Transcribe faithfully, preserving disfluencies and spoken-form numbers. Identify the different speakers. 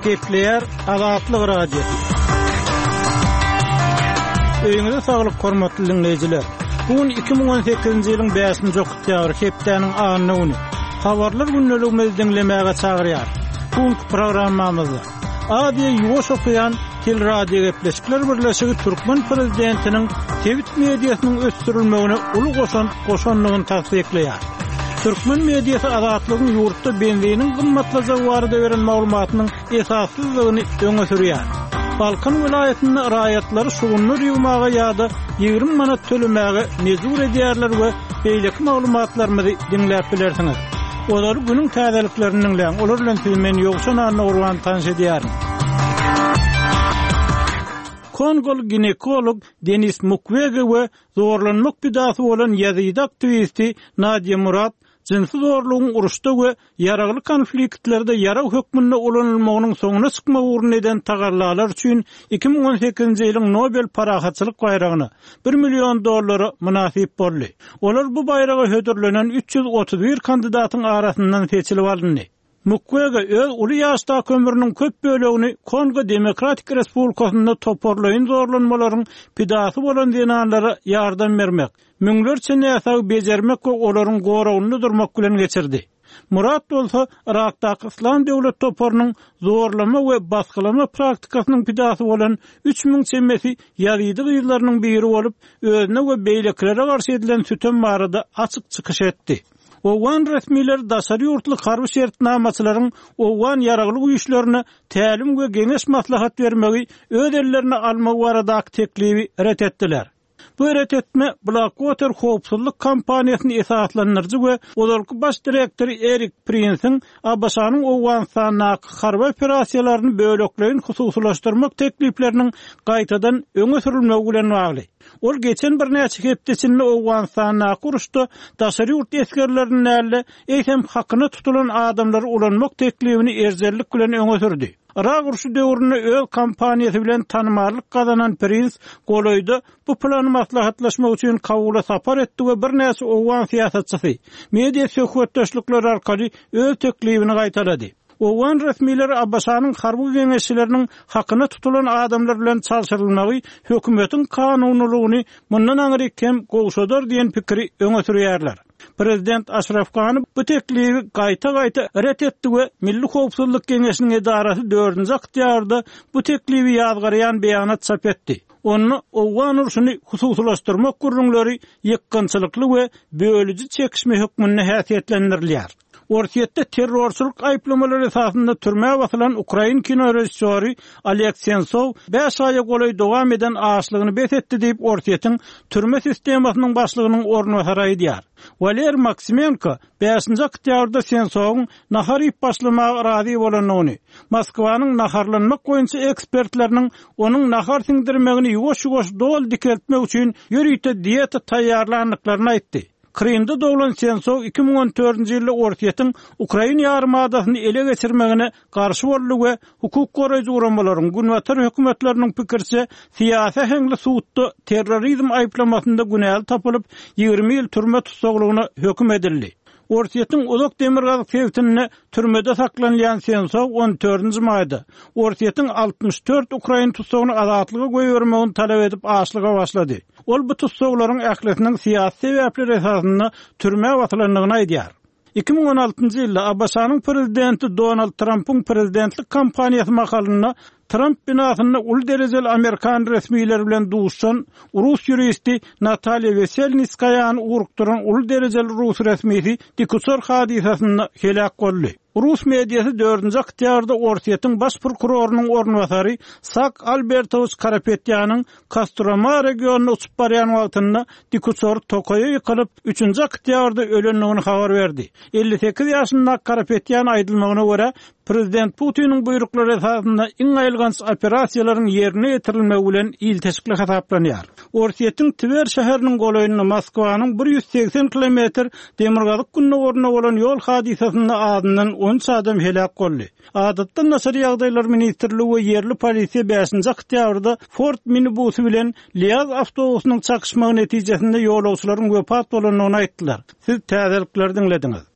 Speaker 1: Gepleýär Azatlyk Radiosy. Öýüňize saglyk hormatly dinleýjiler. Bu gün iki müň on sekizinji ýylyň bäşinji oktýabry, hepdäniň anna güni. Habarlar gündeligimizi diňlemäge çagyrýar. Bu günki programmamyzda Aziýa Ýuwaş okean Teleradiogepleşikler birleşigi türkmen prezidentiniň sebit mediasynyň ösdürilmegine uly goşant goşandygyny tassyklaýar. Türkmen mediasy Azatlygyň ýurtda benziniň gymmatlajagy barada beren maglumatynyň esassyzlygyny öňe sürýär. Balkan welaýatynda raýatlary şugundyr ýygmaga ýa-da ýigrimi manat tölemäge mejbur edýärler we beýleki maglumatlarymyzy diňläp bilersiňiz. Olary günüň täzeliklerini diňläň. Olar bilen sizi men Ýowşan Annagurban tanyş edýärin. Kongol ginekolog Denis Mukwege we zorlanmak pidasy bolan ýazyjy aktiwisti Nadia Murad jynsy zorlugyň uruşda we ýaragly konfliktlerde ýarag hökmünde ulanylmagynyň soňuna çykmak ugrunda eden tagallalar üçin iki müň on sekizinji ýylyň Nobel parahatçylyk baýragyna bir million dollara mynasyp boldy. Olar bu baýraga hödürlenen üç ýüz otuz bir kandidatyň arasyndan seçilip alyndy. Mukwege öz uly ýaşdaky ömrüniň köp bölegini Kongo Demokratik Respublikasynda toparlaýyn zorlanmalaryň pidasy bolan zenanlara ýardam bermek, müňlerçe näsagy bejermek we olaryň goragynda durmak bilen geçirdi. Murat bolsa Irakdaky Islam döwlet toparynyň zorlama we basgylama praktikasynyň pidasy bolan üç müň çemesi ýazyjy gyzlarynyň biri bolup, özüne we beýlekilere garşy edilen sütem barada açyk çykyş etdi. Owgan resmileri daşary ýurtly harby şertnamaçylaryň Owgan ýaragly güýçlerine tälim we geňeş maslahat bermegi öz ellerine almagy baradaky teklibi ret etdiler. Bu ret etme Blackwater howpsuzlyk kompaniýasyny esaslandyryjy we ozalky baş direktory Erik Prinsiň A B Ş-nyň Owganystandaky harby operasiýalaryny bölekleýin hususylaşdyrmak teklipleriniň gaýtadan öňe sürülmegi bilen bagly. Ol geçen birnäçe hepde içinde Owganystandaky uruşda daşary ýurt esgerleriniň däl-de, eýsem hakyna tutulan adamlary ulanmak teklibini erjellik bilen öňe sürdi. Irak urşy döwründe öz kompaniýasy bilen tanymallyk gazanan Prins golaýda bu plany maslahatlaşmak üçin Kabula sapar etdi we birnäçe Owgan syýasatçysy media söhbetdeşlikleri arkaly öz teklibini gaýtalady. Owgan resmileri A B Ş-nyň harby geňeşçileriniň hakyna tutulan adamlar bilen çalşyrylmagy hökümetiň kanunylygyny mundan aňryk hem gowşadar diýen pikiri öňe sürýärler. Prezident Aşraf Gani bu teklibi gaýta-gaýta ret etdi we Milli Howpsuzlyk Geňeşiniň edarasy dördünji oktýabrda bu teklibi ýazgarýan beýanat çap etdi. Onda Owgan urşuny hususylaşdyrmak gürrüňleri ýykgynçylykly we bölüji çekişme hökmünde häsiýetlendirilýär. Orsýetde terrorçylyk aýyplamalary esasynda türmä basylan ukrain kino režissýory Oleg Sentsov bäş aýa golaý dowam eden açlygyny bes etdi diýip Orsýetiň türme sistemasynyň başlygynyň orunbasary aýdýar. Waler Maksimenko bäşinji oktýabrda Sentsowyň nahar iýip başlamaga razy bolandygyny, Moskwanyň naharlanmak boýunça ekspertleriniň onuň nahar siňdirmegini ýuwaş-ýuwaş doly dikeltmek üçin ýörite dieta taýýarlandyklaryny aýtdy. Krymda doglan Sentsov iki müň on dördünji ýylda Orsýetiň Ukraina ýarymadasyny ele geçirmegine garşy boldy we hukuk goraýjy guramalaryň günbatar hökümetleriniň pikirçe syýasy äheňli sudda terrorizm aýyplamasynda günäli tapylyp ýigrimi ýyl türme tussaglygyna höküm edildi. Orsýetiň uzak demirgazyk sebitinde türmede saklanylýan Sentsov on dördünji maýda Orsýetiň altmyş dört ukrain tutsagyny azatlyga goýbermegini talap edip açlyga başlady. Ol bu tussaglaryň ählisiniň syýasy sebäpler esasynda türmä basylandygyny aýdýar. Iki müň on altynjy ýylda A B Ş-nyň prezidenti Donald Trumpyň prezidentlik kampaniýasy mahalynda Trump binasynda uly derejeli Amerikan resmileri bilen duşan rus ýuristi Natalýa Weselnitskaýany ugrukdyran uly derejeli rus resmisi dikuçar hadysasynda heläk boldy. Rus mediasy dördünji oktýabrda Orsýetiň baş prokurorynyň orunbasary Sak Albertowiç Karapetýanyň Kostroma regionyna uçup barýan wagtynda dikuçar tokaýa ýykylyp, üçünji oktýabrda ölendigini habar berdi. Elli sekiz ýaşyndaky Karapetýan aýdylmagyna görä, Prezident Putiniň buýruklary esasynda iň aýylganç operasiýalaryň ýerine ýetirilmegi bilen ilteşikli hasaplanýar. Orsýetiň Twer şäheriniň golaýynda Moskwanyň bir ýüz segsen kilometr demirgazyk gündogarynda bolan ýol hadysasynda azyndan on üç adam heläk boldy. Adatdan daşary ýagdaýlar ministrligi we ýerli polisiýa bäşinji oktýabrda Ford minibusy bilen Liaz awtobusynyň çakyşmagy netijesinde ýolagçylaryň wepat bolandygyny aýtdylar. Siz täzelikleri diňlediňiz.